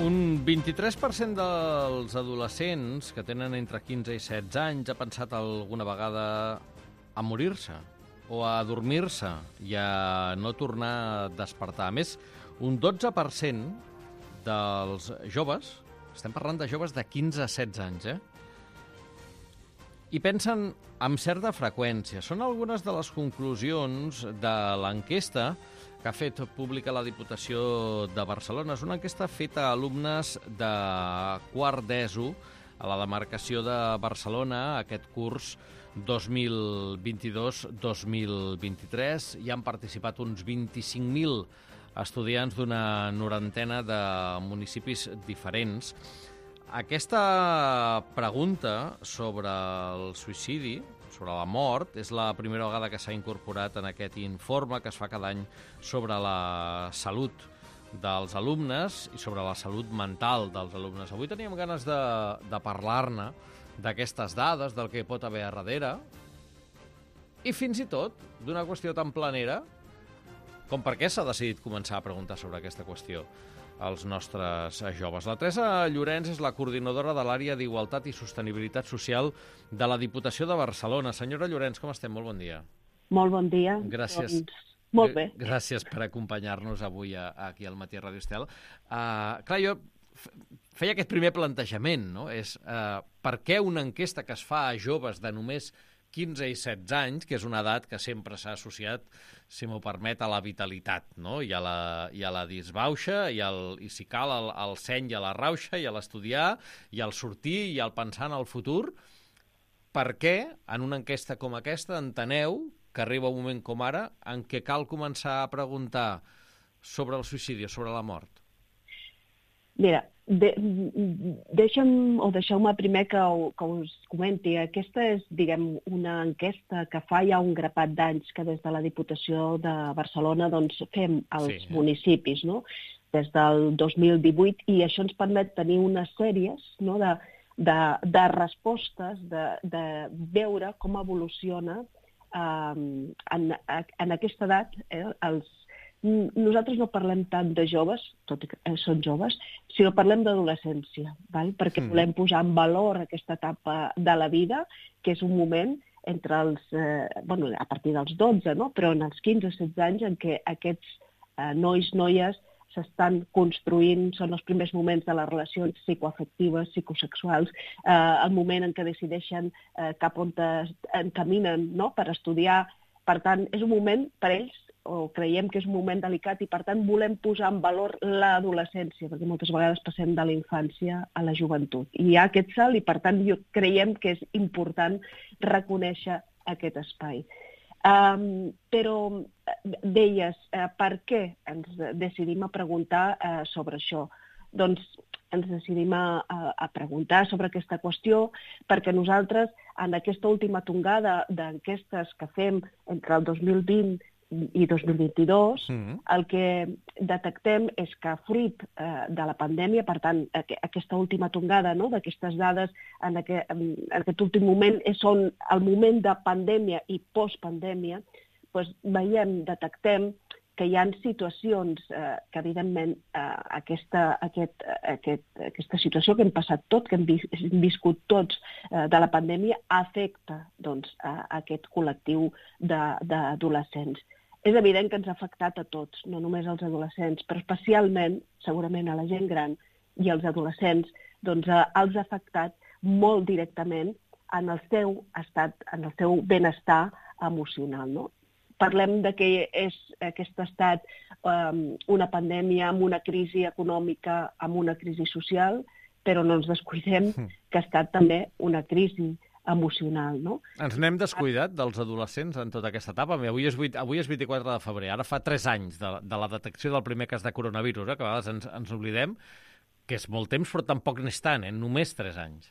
Un 23% dels adolescents que tenen entre 15 i 16 anys ha pensat alguna vegada a morir-se o a dormir-se i a no tornar a despertar. A més, un 12% dels joves, estem parlant de joves de 15 a 16 anys, i pensen amb certa freqüència. Són algunes de les conclusions de l'enquesta que ha fet pública la Diputació de Barcelona. És una enquesta feta a alumnes de quart d'ESO a la demarcació de Barcelona aquest curs 2022-2023. Hi han participat uns 25.000 estudiants d'una norantena de municipis diferents. Aquesta pregunta sobre el suïcidi, sobre la mort, és la primera vegada que s'ha incorporat en aquest informe que es fa cada any sobre la salut dels alumnes i sobre la salut mental dels alumnes. Avui teníem ganes de parlar-ne, d'aquestes dades, del que pot haver a darrere, i fins i tot d'una qüestió tan planera com per què s'ha decidit començar a preguntar sobre aquesta qüestió als nostres joves. La Teresa Llorenç és la coordinadora de l'àrea d'Igualtat i Sostenibilitat Social de la Diputació de Barcelona. Senyora Llorenç, com estem? Molt bon dia. Molt bon dia. Gràcies. Molt bé. Gràcies per acompanyar-nos avui aquí al Matí a Ràdio Estel. Clar, jo feia aquest primer plantejament, no? És per què una enquesta que es fa a joves de només 15 i 16 anys, que és una edat que sempre s'ha associat, si m'ho permet, a la vitalitat, no? I a la disbauxa, i si cal, al seny i a la rauxa, i a l'estudiar, i al sortir, i al pensar en el futur. Per què, en una enquesta com aquesta, enteneu que arriba un moment com ara en què cal començar a preguntar sobre el suïcidi, sobre la mort? Mira, deixeu-me primer que us comenti. Aquesta és, diguem, una enquesta que fa ja un grapat d'anys que des de la Diputació de Barcelona doncs, fem als municipis, no? Des del 2018, i això ens permet tenir unes sèries, no? de respostes, de veure com evoluciona en aquesta edat Nosaltres no parlem tant de joves, tot i que són joves, sinó parlem d'adolescència, perquè volem posar en valor aquesta etapa de la vida, que és un moment entre a partir dels 12, no? Però en els 15-16 anys en què aquests nois, noies s'estan construint, són els primers moments de les relacions psicoafectives, psicosexuals, el moment en què decideixen cap on encaminen, no? Per estudiar. Per tant, és un moment per ells, o creiem que és un moment delicat, i per tant volem posar en valor l'adolescència, perquè moltes vegades passem de la infància a la joventut. I hi ha aquest salt i per tant creiem que és important reconèixer aquest espai. Però deies, per què ens decidim a preguntar sobre això? Doncs ens decidim a preguntar sobre aquesta qüestió perquè nosaltres, en aquesta última tongada d'enquestes que fem entre el 2020 i 2022, el que detectem és que fruit de la pandèmia, per tant, aquesta última tongada, no? D'aquestes dades en aquest últim moment són el moment de pandèmia i postpandèmia, doncs detectem que hi ha situacions que, evidentment, aquesta situació que hem passat tots, que hem viscut tots de la pandèmia, afecta aquest col·lectiu d'adolescents. És evident que ens ha afectat a tots, no només als adolescents, però especialment, segurament, a la gent gran i als adolescents, doncs els ha afectat molt directament en el seu estat, en el seu benestar emocional, no? Parlem que és aquest estat una pandèmia amb una crisi econòmica, amb una crisi social, però no ens descuidem que ha estat també una crisi emocional, no? Ens n'hem descuidat dels adolescents en tota aquesta etapa. Avui és 24 de febrer, ara fa 3 anys de la detecció del primer cas de coronavirus, que a vegades ens oblidem, que és molt temps, però tampoc n'és tant, només 3 anys.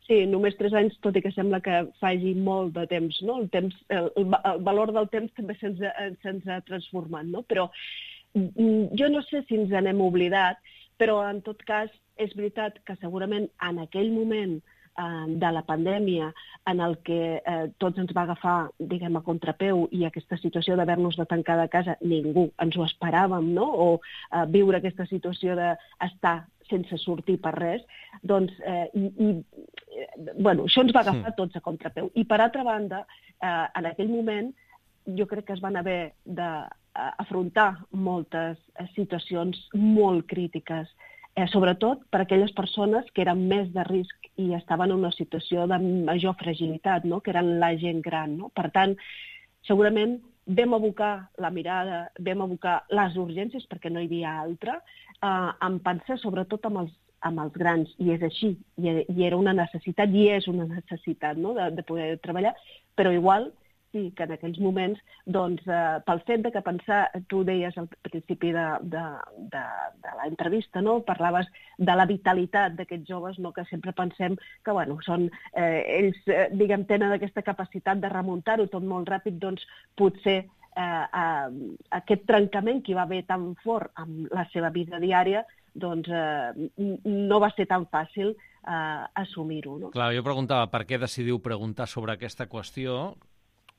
Sí, només 3 anys, tot i que sembla que faci molt de temps, no? El valor del temps també se'ns ha transformat, no? Però jo no sé si ens n'hem oblidat, però en tot cas és veritat que segurament en aquell moment de la pandèmia en el que tots ens va agafar, diguem, a contrapeu, i aquesta situació d'haver-nos de tancar de casa, ningú ens ho esperàvem, no? O viure aquesta situació d'estar sense sortir per res, doncs, bueno, això ens va agafar tots a contrapeu. I, per altra banda, en aquell moment, jo crec que es van haver d'afrontar moltes situacions molt crítiques, sobretot per a aquelles persones que eren més de risc i estaven en una situació de major fragilitat, no? Que eren la gent gran. No? Per tant, segurament vam abocar la mirada, vam abocar les urgències, perquè no hi havia altra, en pensar sobretot amb els grans, i és així, i era una necessitat, i és una necessitat, no? de poder treballar, però igual sí que en aquells moments, doncs, pel fet de que pensar, tu deies al principi de la entrevista, no? Parlaves de la vitalitat d'aquests joves, no? Que sempre pensem que, bueno, són, ells, diguem, tenen aquesta capacitat de remuntar-ho tot molt ràpid, doncs potser aquest trencament que va haver tan fort amb la seva vida diària, doncs no va ser tan fàcil assumir-ho. No? Clar, jo preguntava per què decidiu preguntar sobre aquesta qüestió.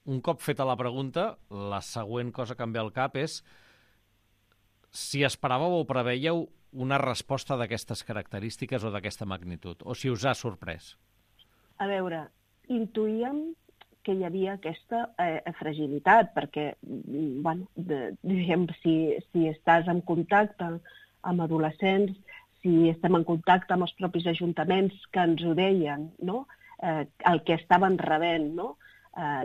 Un cop feta la pregunta, la següent cosa que em ve al cap és si esperàveu o preveieu una resposta d'aquestes característiques o d'aquesta magnitud, o si us ha sorprès. A veure, intuïem que hi havia aquesta fragilitat, perquè, bueno, diguem, si estàs en contacte amb adolescents, si estem en contacte amb els propis ajuntaments que ens ho deien, no? El que estaven rebent, no?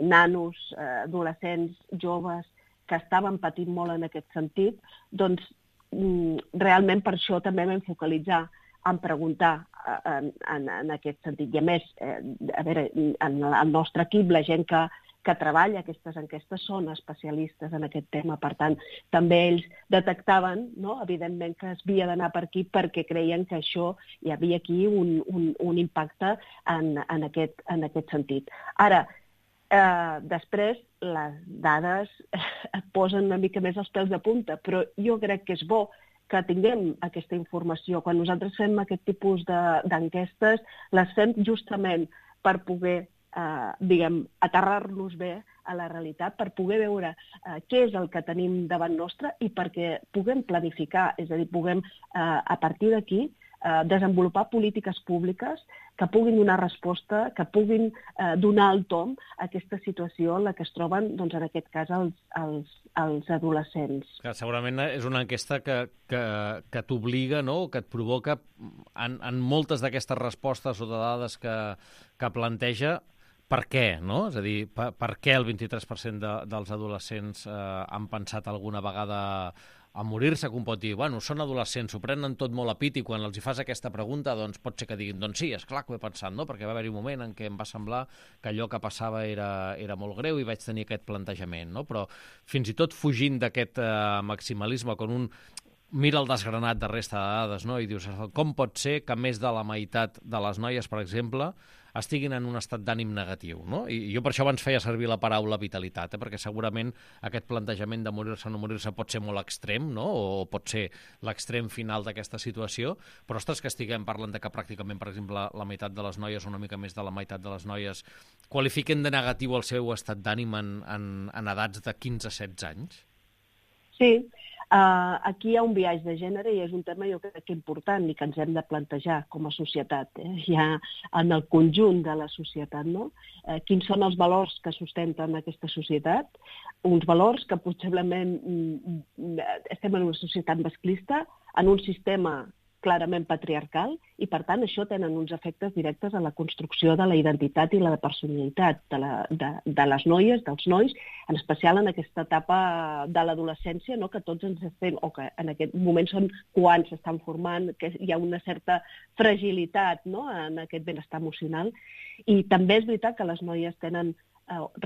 Nanos, adolescents, joves, que estaven patint molt en aquest sentit, doncs realment per això també vam focalitzar en preguntar en aquest sentit. I a més, a veure, en el nostre equip, la gent que treballa aquestes enquestes són especialistes en aquest tema. Per tant, també ells detectaven, no? Evidentment, que es havia d'anar per aquí perquè creien que això hi havia aquí un impacte en aquest sentit. Ara, després, les dades et posen una mica més els pèls de punta, però jo crec que és bo que tinguem aquesta informació. Quan nosaltres fem aquest tipus d'enquestes, les fem justament per poder, diguem, aterrar-nos bé a la realitat, per poder veure què és el que tenim davant nostre i perquè puguem planificar, és a dir, puguem, a partir d'aquí, desenvolupar polítiques públiques que puguin donar resposta, que puguin donar el tom a aquesta situació en la que es troben, doncs, en aquest cas, els adolescents. Que segurament és una enquesta que t'obliga, no?, que et provoca, en moltes d'aquestes respostes o de dades que planteja, per què, no? És a dir, per què el 23% dels adolescents han pensat alguna vegada a morir-se, que un pot dir, bueno, són adolescents, s'ho prenen tot molt a pit, i quan els hi fas aquesta pregunta, doncs pot ser que diguin, doncs sí, esclar que ho he pensat, no? Perquè va haver-hi un moment en què em va semblar que allò que passava era molt greu i vaig tenir aquest plantejament, no? Però fins i tot fugint d'aquest maximalisme, quan un mira el desgranat de resta de dades, no? I dius, com pot ser que més de la meitat de les noies, per exemple, estiguin en un estat d'ànim negatiu, no? I jo per això abans feia servir la paraula vitalitat, perquè segurament aquest plantejament de morir-se o no morir-se pot ser molt extrem, no? O pot ser l'extrem final d'aquesta situació, però ostres, que estiguem parlant de que pràcticament, per exemple, la meitat de les noies, una mica més de la meitat de les noies, qualifiquen de negatiu el seu estat d'ànim en edats de 15-16 anys? Sí, aquí hi ha un biaix de gènere i és un tema jo crec que important i que ens hem de plantejar com a societat, ja en el conjunt de la societat, no? Quins són els valors que sustenten aquesta societat? Uns valors que possiblement estem en una societat masclista, en un sistema clarament patriarcal, i per tant això tenen uns efectes directes a la construcció de la identitat i la personalitat de les noies, dels nois, en especial en aquesta etapa de l'adolescència, no? Que tots ens estem, o que en aquest moment són quan s'estan formant, que hi ha una certa fragilitat, no? En aquest benestar emocional. I també és veritat que les noies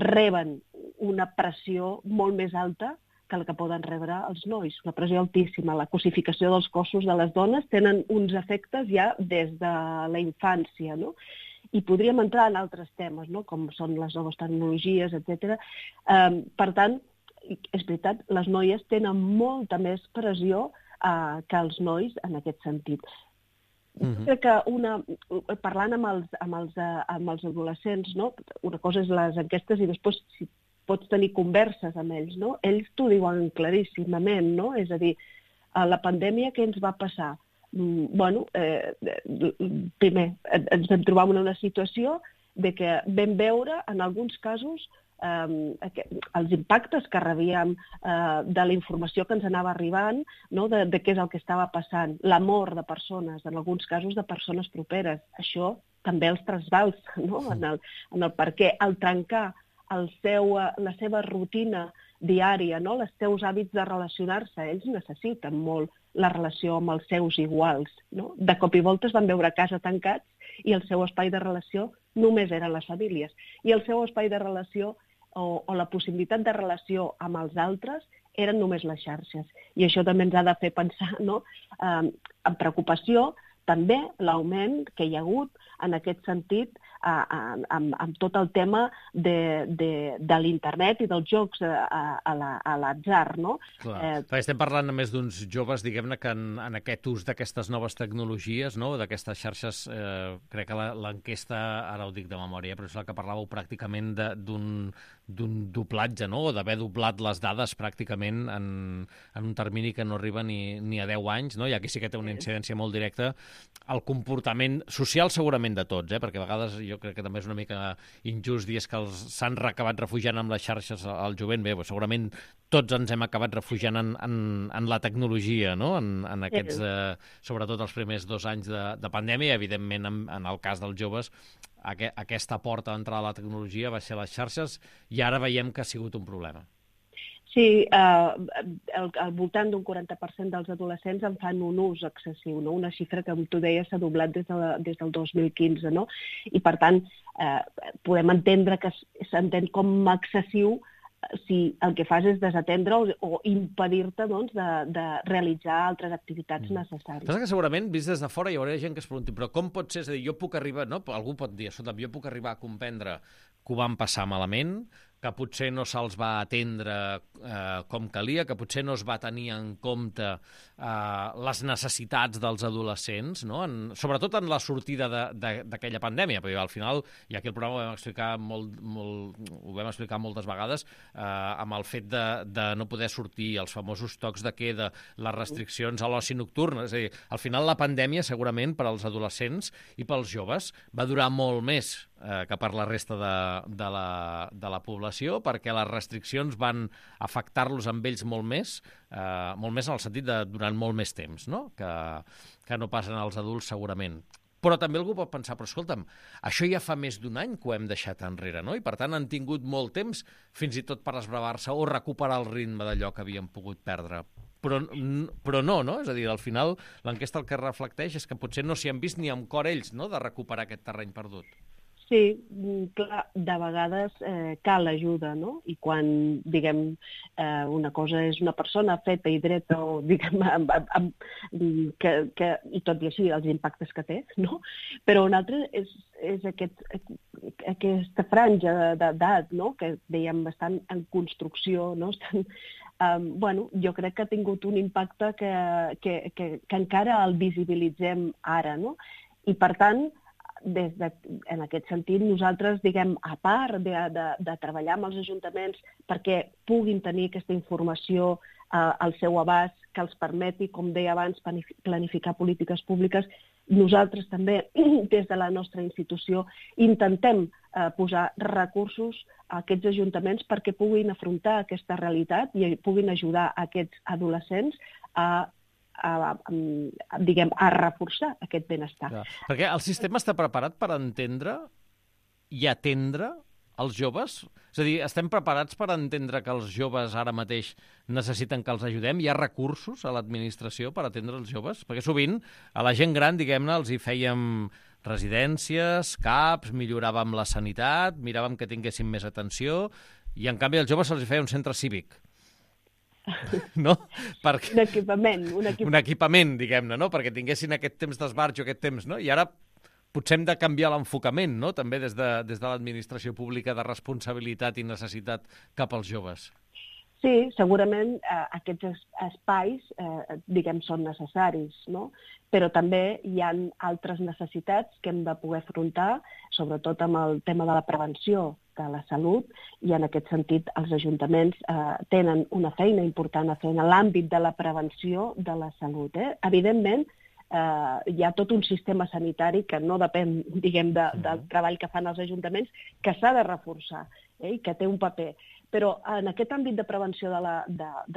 reben una pressió molt més alta que la que poden rebre els nois, una pressió altíssima. La cosificació dels cossos de les dones tenen uns efectes ja des de la infància, no? I podríem entrar en altres temes, no? Com són les noves tecnologies, etc. Per tant, és veritat, les noies tenen molta més pressió que els nois en aquest sentit. Crec que parlant amb els adolescents, no? Una cosa és les enquestes i després si pots tenir converses amb ells, no? Ells t'ho diuen claríssimament, no? És a dir, la pandèmia què ens va passar? primer, ens vam trobar en una situació de que vam veure, en alguns casos, els impactes que rebíem de la informació que ens anava arribant, no? de què és el que estava passant, la mort de persones, en alguns casos de persones properes. Això també els trasbals, no? en el per què, al trencar la seva rutina diària, no? Els seus hàbits de relacionar-se, ells necessiten molt la relació amb els seus iguals. No? De cop i volta es van veure a casa tancats i el seu espai de relació només eren les famílies. I el seu espai de relació o la possibilitat de relació amb els altres eren només les xarxes. I això també ens ha de fer pensar, no? Amb preocupació també l'augment que hi ha hagut en aquest sentit amb tot el tema de l'internet i dels jocs a l'atzar, no? Clar, estem parlant a més d'uns joves, diguem-ne, que en aquest ús d'aquestes noves tecnologies, no? D'aquestes xarxes, crec que l'enquesta, ara ho dic de memòria, però és la que parlàveu pràcticament d'un doblatge, no? O d'haver doblat les dades pràcticament en un termini que no arriba ni a 10 anys, no? I aquí sí que té una incidència molt directa al comportament social segurament de tots, perquè a vegades jo crec que també és una mica injust dir que s'han acabat refugiant amb les xarxes al jovent. Bé, segurament tots ens hem acabat refugiant en la tecnologia, no? En aquests, sobretot els primers 2 anys de pandèmia, i evidentment en el cas dels joves aquesta porta d'entrada a la tecnologia va ser les xarxes i ara veiem que ha sigut un problema. Sí, al voltant d'un 40% dels adolescents en fan un ús excessiu, no? Una xifra que, com tu deies, s'ha doblat des del 2015, no? I, per tant, podem entendre que s'entén com a excessiu si el que fas és desatendre o impedir-te, doncs, de realitzar altres activitats necessàries. Passa que segurament, vist des de fora, hi haurà gent que es pregunti, però com pot ser? És a dir, jo puc arribar, no? Algú pot dir, escolta, jo puc arribar a comprendre que ho van passar malament, que potser no se'ls va atendre com calia, que potser no es va tenir en compte les necessitats dels adolescents, no? Sobretot en la sortida d'aquella pandèmia, perquè al final, i aquí el programa ho vam explicar moltes vegades, amb el fet de no poder sortir, els famosos tocs de queda, les restriccions a l'oci nocturn, és a dir, al final la pandèmia segurament per als adolescents i pels joves va durar molt més que per la resta de la població, perquè les restriccions van afectar-los amb ells molt més en el sentit de durant molt més temps, no? Que no passen als adults segurament. Però també algú pot pensar, però escolta'm, això ja fa més d'un any que ho hem deixat enrere, no? I per tant han tingut molt temps fins i tot per esbravar-se o recuperar el ritme d'allò que havien pogut perdre. Però no? És a dir, al final l'enquesta el que reflecteix és que potser no s'hi han vist ni amb cor ells, no?, de recuperar aquest terreny perdut. Sí, clar, de vegades cal ajuda, no? I quan, diguem, una cosa és una persona feta i dreta o, diguem, i tot i així els impactes que té, no? Però un altre és aquesta franja d'edat, no? Que dèiem estan en construcció, no? Jo crec que ha tingut un impacte que encara el visibilitzem ara, no? I, per tant, en aquest sentit, nosaltres, diguem, a part de treballar amb els ajuntaments perquè puguin tenir aquesta informació al seu abast, que els permeti, com deia abans, planificar polítiques públiques, nosaltres també, des de la nostra institució, intentem posar recursos a aquests ajuntaments perquè puguin afrontar aquesta realitat i puguin ajudar aquests adolescents a reforçar aquest benestar. Clar. Perquè el sistema està preparat per entendre i atendre els joves? És a dir, estem preparats per entendre que els joves ara mateix necessiten que els ajudem? Hi ha recursos a l'administració per atendre els joves? Perquè sovint a la gent gran, diguem-ne, els hi fèiem residències, CAPs, milloràvem la sanitat, miràvem que tinguessin més atenció, i en canvi als joves se'ls hi feia un centre cívic. No? Un equipament. Un equipament, diguem-ne, no? Perquè tinguessin aquest temps d'esbarjo, aquest temps, no? I ara potser hem de canviar l'enfocament, no? També des de l'administració pública de responsabilitat i necessitat cap als joves. Sí, segurament aquests espais, diguem, són necessaris, no? Però també hi ha altres necessitats que hem de poder afrontar, sobretot amb el tema de la prevenció de la salut, i en aquest sentit els ajuntaments tenen una feina important a fer en l'àmbit de la prevenció de la salut. Evidentment, hi ha tot un sistema sanitari que no depèn, diguem, del treball que fan els ajuntaments, que s'ha de reforçar i que té un paper. Però en aquest àmbit de prevenció de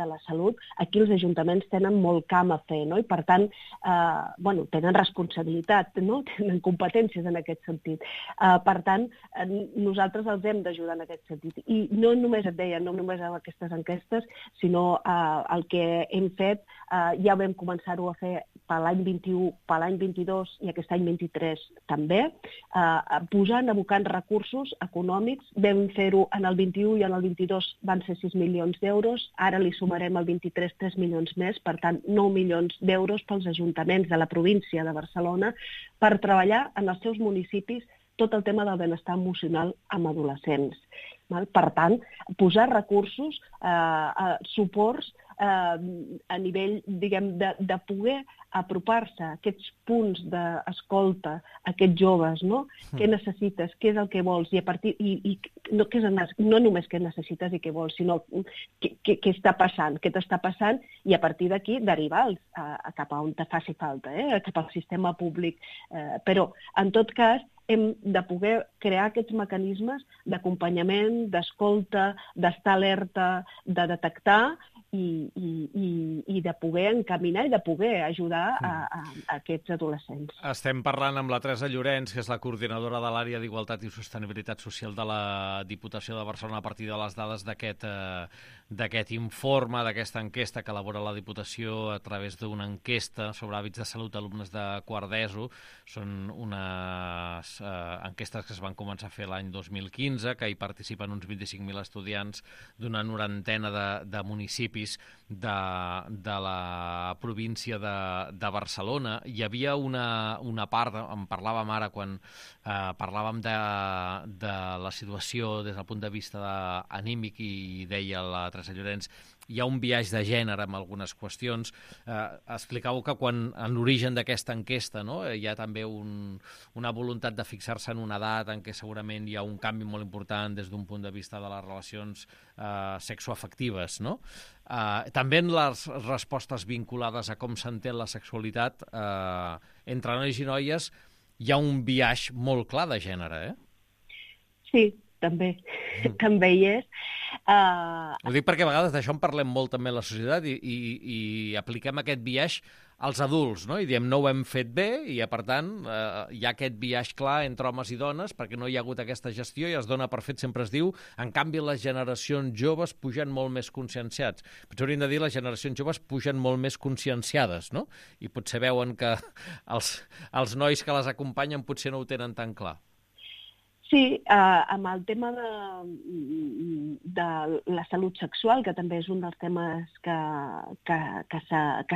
la salut, aquí els ajuntaments tenen molt camp a fer, no? I per tant, tenen responsabilitat, no? Tenen competències en aquest sentit. Per tant, nosaltres els hem d'ajudar en aquest sentit. I no només et deia, no només amb aquestes enquestes, sinó el que hem fet, ja vam començar-ho a fer per l'any 21, per l'any 22 i aquest any 23 també, abocant recursos econòmics. Vam fer-ho en el 21 i en el 22 van ser 6 milions d'euros, ara li sumarem al 23 3 milions més, per tant 9 milions d'euros pels ajuntaments de la província de Barcelona per treballar en els seus municipis tot el tema del benestar emocional amb adolescents. Per tant, posar recursos, suports a nivell, diguem, de poder apropar-se a aquests punts d'escolta a aquests joves, no? Què necessites, què és el que vols, i a partir no només què necessites i què vols, sinó què està passant, què t'està passant, i a partir d'aquí derivar-los cap a on te faci falta, cap al sistema públic. Però, en tot cas, hem de poder crear aquests mecanismes d'acompanyament, d'escolta, d'estar alerta, de detectar i de poder encaminar i de poder ajudar a aquests adolescents. Estem parlant amb la Teresa Llorenç, que és la coordinadora de l'àrea d'Igualtat i Sostenibilitat Social de la Diputació de Barcelona, a partir de les dades d'aquest informe, d'aquesta enquesta que elabora la Diputació a través d'una enquesta sobre hàbits de salut d'alumnes de quart d'ESO. Són unes enquestes que es van començar a fer l'any 2015, que hi participen uns 25.000 estudiants d'una norantena de municipis de la província de Barcelona. Hi havia una part, en parlàvem ara quan parlàvem de la situació des del punt de vista anímic, i deia la Teresa Llorenç, hi ha un biaix de gènere amb algunes qüestions. Explicau que en l'origen d'aquesta enquesta, no, hi ha també una voluntat de fixar-se en una edat en què segurament hi ha un canvi molt important des d'un punt de vista de les relacions sexoafectives, no? També en les respostes vinculades a com s'entén la sexualitat entre nois i noies hi ha un biaix molt clar de gènere, Sí, també hi és. Ho dic perquè a vegades d'això en parlem molt també a la societat i apliquem aquest biaix als adults, no? I diem no ho hem fet bé i, per tant, hi ha aquest biaix clar entre homes i dones perquè no hi ha hagut aquesta gestió i es dona per fet, sempre es diu, en canvi les generacions joves pugen molt més conscienciats. Potser hauríem de dir les generacions joves pugen molt més conscienciades, no? I potser veuen que els nois que les acompanyen potser no ho tenen tan clar. Sí, amb el tema de la salut sexual, que també és un dels temes que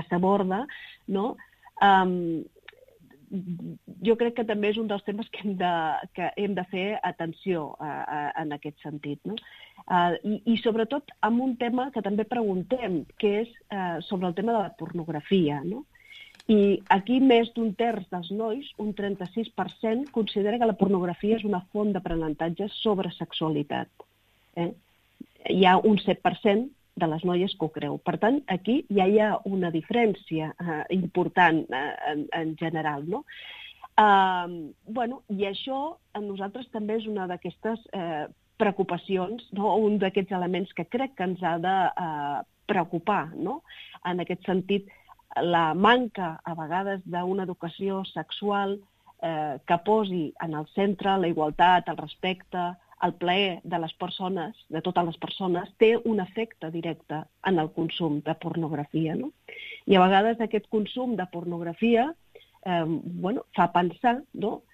s'aborda, no? Jo crec que també és un dels temes que hem de fer atenció en aquest sentit, no? I sobretot amb un tema que també preguntem, que és sobre el tema de la pornografia, no? I aquí més d'un terç dels nois, un 36%, considera que la pornografia és una font d'aprenentatge sobre sexualitat. Hi ha un 7% de les noies que ho creu. Per tant, aquí ja hi ha una diferència important en general, no? I això a nosaltres també és una d'aquestes preocupacions, no? Un d'aquests elements que crec que ens ha de preocupar, no? En aquest sentit, la manca, a vegades, d'una educació sexual que posi en el centre la igualtat, el respecte, el plaer de les persones, de totes les persones, té un efecte directe en el consum de pornografia, no? I a vegades aquest consum de pornografia fa pensar, no?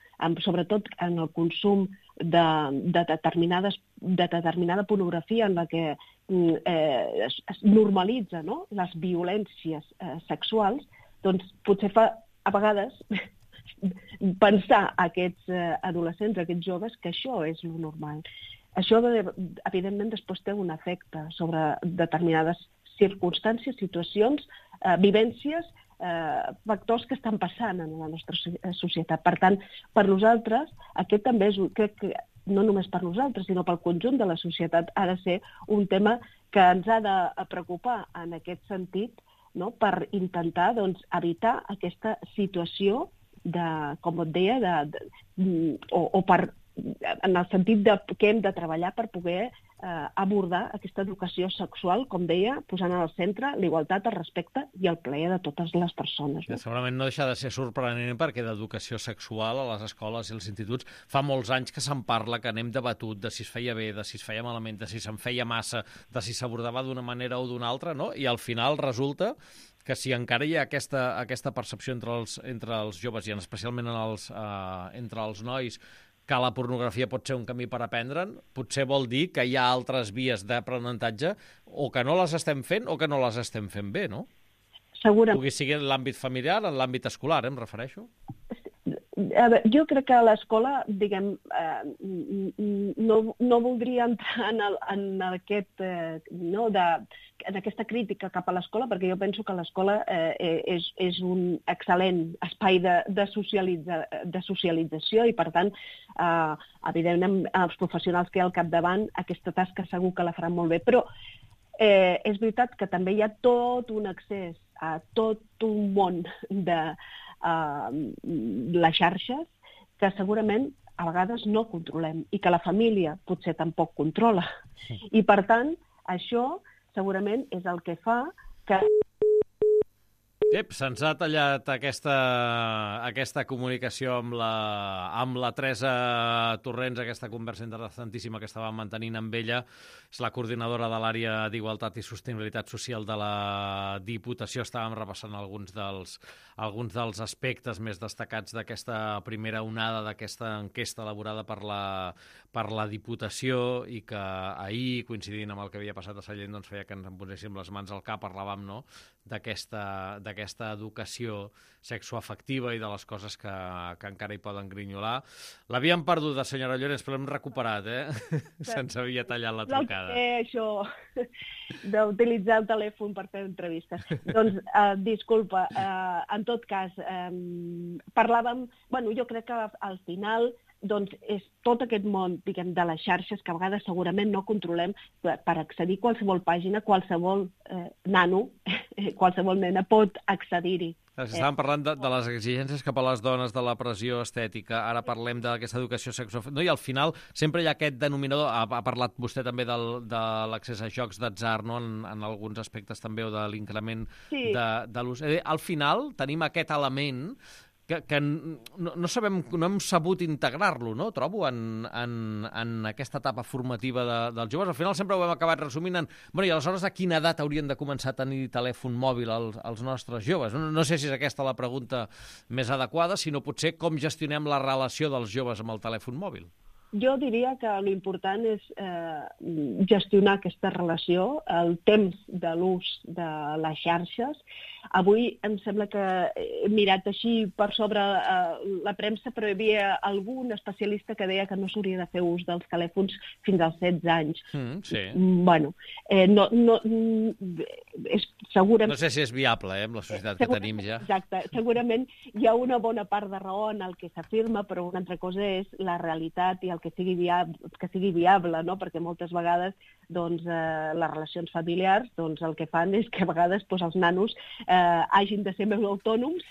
Sobretot en el consum de determinada pornografia en la que es normalitza, no? Les violències sexuals, doncs potser fa a vegades pensar a aquests adolescents, a aquests joves, que això és lo normal. Això, evidentment, després té un efecte sobre determinades circumstàncies, situacions, vivències, factors que estan passant en la nostra societat. Per tant, per nosaltres, aquest també és, crec que no només per nosaltres, sinó pel conjunt de la societat, ha de ser un tema que ens ha de preocupar en aquest sentit, no? Per intentar evitar aquesta situació de, com et deia, o per, en el sentit que hem de treballar per poder abordar aquesta educació sexual, com deia, posant al centre l'igualtat, el respecte i el plaer de totes les persones. No? Segurament no deixa de ser sorprenent perquè d'educació sexual a les escoles i als instituts fa molts anys que se'n parla, que anem debatut de si es feia bé, de si es feia malament, de si se'n feia massa, de si s'abordava d'una manera o d'una altra, no? I al final resulta que si encara hi ha aquesta percepció entre els joves i especialment entre els nois que la pornografia pot ser un camí per aprendre'n, potser vol dir que hi ha altres vies d'aprenentatge o que no les estem fent o que no les estem fent bé, no? Segurament. Pugui sigui en l'àmbit familiar, en l'àmbit escolar, em refereixo. A veure, jo crec que l'escola, diguem, no voldria entrar en aquesta crítica cap a l'escola, perquè jo penso que l'escola és un excel·lent espai de socialització i, per tant, evidentment, els professionals que hi ha al capdavant, aquesta tasca segur que la faran molt bé. Però és veritat que també hi ha tot un accés a tot un món de les xarxes que segurament a vegades no controlem i que la família potser tampoc controla. I, per tant, això segurament és el que fa que... Se'ns ha tallat aquesta comunicació amb la Teresa Torrents, aquesta conversa interessantíssima que estàvem mantenint amb ella. És la coordinadora de l'àrea d'Igualtat i Sostenibilitat Social de la Diputació. Estàvem repassant alguns dels aspectes més destacats d'aquesta primera onada, d'aquesta enquesta elaborada per la Diputació i que ahir, coincidint amb el que havia passat a Sallent, doncs feia que ens en poséssim les mans al cap, parlàvem, no?, d'aquesta educació sexoafectiva i de les coses que encara hi poden grinyolar. L'havíem perduda, senyora Llorens, però l'hem recuperat, Se'ns havia tallat la trucada. Això d'utilitzar el telèfon per fer entrevistes. Doncs, disculpa, en tot cas, parlàvem... Bueno, jo crec que al final doncs és tot aquest món, diguem, de les xarxes que a vegades segurament no controlem per accedir a qualsevol pàgina, qualsevol nano, qualsevol nena pot accedir-hi. Estàvem parlant de les exigències cap a les dones, de la pressió estètica, ara parlem d'aquesta educació sexual... No? I al final sempre hi ha aquest denominador, ha parlat vostè també de l'accés a jocs d'atzar, no?, en alguns aspectes també, o de l'increment de l'ús. Al final tenim aquest element que no hem sabut integrar-lo, no?, trobo, en aquesta etapa formativa dels joves. Al final sempre ho hem acabat resumint en... Bueno, i aleshores a quina edat haurien de començar a tenir telèfon mòbil els nostres joves? No sé si és aquesta la pregunta més adequada, sinó potser com gestionem la relació dels joves amb el telèfon mòbil. Jo diria que l'important és gestionar aquesta relació, el temps de l'ús de les xarxes. Avui em sembla que he mirat així per sobre la premsa, però hi havia algun especialista que deia que no s'hauria de fer ús dels telèfons fins als 16 anys. Sí. Bueno, és segurament... No sé si és viable, amb la societat que tenim ja. Exacte. Segurament hi ha una bona part de raó en el que s'afirma, però una altra cosa és la realitat i el que sigui viable, no? Perquè moltes vegades doncs, les relacions familiars doncs, el que fan és que a vegades doncs, els nanos hagin de ser més autònoms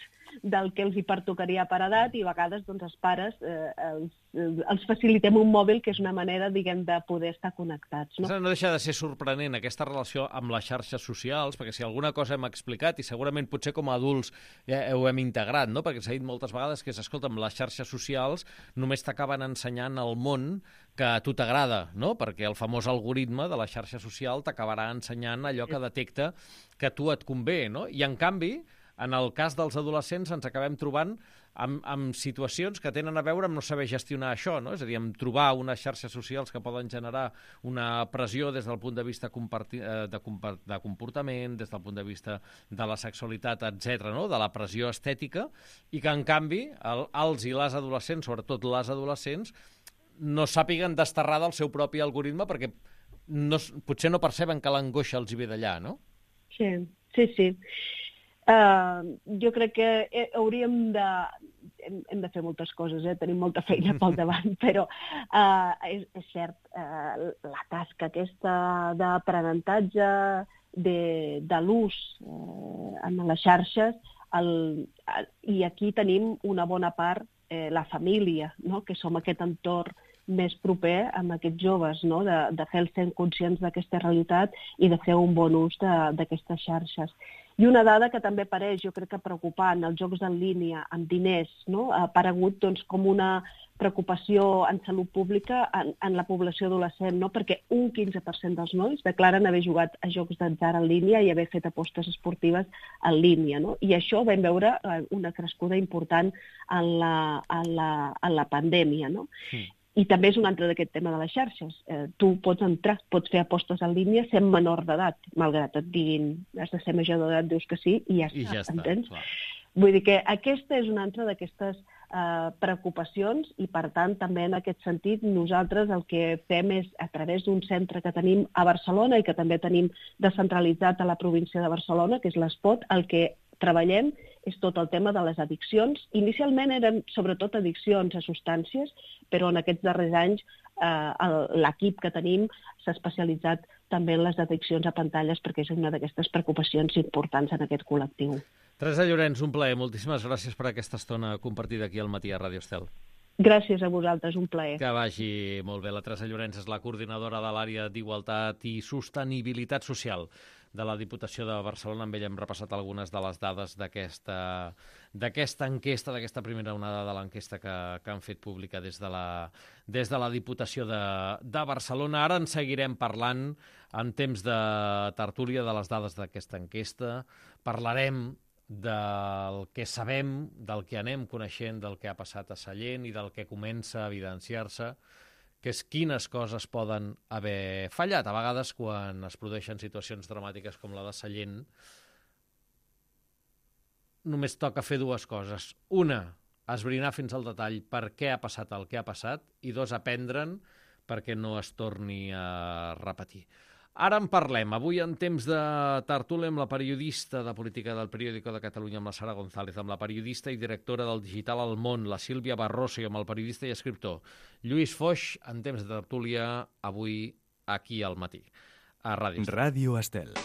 del que els hi pertocaria per edat i a vegades doncs, els pares els facilitem un mòbil que és una manera, diguem, de poder estar connectats. No? No deixa de ser sorprenent aquesta relació amb les xarxes socials, perquè si alguna cosa hem explicat, i segurament potser com a adults ho hem integrat, no? Perquè s'ha dit moltes vegades que, escolta, amb les xarxes socials només t'acaben ensenyant el món que a tu t'agrada, no? Perquè el famós algoritme de la xarxa social t'acabarà ensenyant allò que detecta que a tu et convé, no? I en canvi, en el cas dels adolescents ens acabem trobant amb situacions que tenen a veure amb no saber gestionar això, no? És a dir, amb trobar unes xarxes socials que poden generar una pressió des del punt de vista de comportament, des del punt de vista de la sexualitat, etc., no? De la pressió estètica, i que, en canvi, els i les adolescents, sobretot les adolescents, no sàpiguen desterrar del seu propi algoritme perquè potser no perceben que l'angoixa els hi ve d'allà, no? Sí. Jo crec que hem de fer moltes coses, tenim molta feina pel davant, però és cert, la tasca aquesta d'aprenentatge de l'ús en les xarxes, i aquí tenim una bona part, la família, no? Que som aquest entorn més proper amb aquests joves, no? De fer-los sent conscients d'aquesta realitat i de fer un bon ús d'aquestes xarxes. I una dada que també apareix, jo crec que preocupant, els jocs en línia, amb diners, no? Ha aparegut doncs, com una preocupació en salut pública en la població adolescent, no? Perquè un 15% dels nois declaren haver jugat a jocs d'atzar en línia i haver fet apostes esportives en línia, no? I això vam veure una crescuda important en la pandèmia, no? Sí. I també és un altre d'aquest tema de les xarxes. Tu pots entrar, pots fer apostes en línia sent menor d'edat, malgrat et diguin has de ser major d'edat, dius que sí, i ja està, entens? Clar. Vull dir que aquesta és una altra d'aquestes preocupacions i, per tant, també en aquest sentit nosaltres el que fem és, a través d'un centre que tenim a Barcelona i que també tenim descentralitzat a la província de Barcelona, que és l'Espot, el que treballem és tot el tema de les addiccions. Inicialment eren sobretot addiccions a substàncies, però en aquests darrers anys l'equip que tenim s'ha especialitzat també en les addiccions a pantalles perquè és una d'aquestes preocupacions importants en aquest col·lectiu. Teresa Llorens, un plaer. Moltíssimes gràcies per aquesta estona compartida aquí al Matí a Ràdio Estel. Gràcies a vosaltres, un plaer. Que vagi molt bé. La Teresa Llorens és la coordinadora de l'àrea d'Igualtat i Sostenibilitat Social de la Diputació de Barcelona. Amb ella hem repassat algunes de les dades d'aquesta enquesta, d'aquesta primera onada de l'enquesta que han fet pública des de la Diputació de Barcelona. Ara en seguirem parlant en temps de tertúlia de les dades d'aquesta enquesta. Parlarem del que sabem, del que anem coneixent, del que ha passat a Sallent i del que comença a evidenciar-se, que és quines coses poden haver fallat. A vegades, quan es produeixen situacions dramàtiques com la de Sallent, només toca fer dues coses. Una, esbrinar fins al detall per què ha passat el que ha passat, i dos, aprendre'n perquè no es torni a repetir. Ara en parlem. Avui, en temps de tertúlia, amb la periodista de política del Periódico de Catalunya, amb la Sara González, amb la periodista i directora del digital El Món, la Sílvia Barroso, i amb el periodista i escriptor Lluís Foix, en temps de tertúlia, avui aquí al Matí, a Ràdio Estel. Ràdio Estel.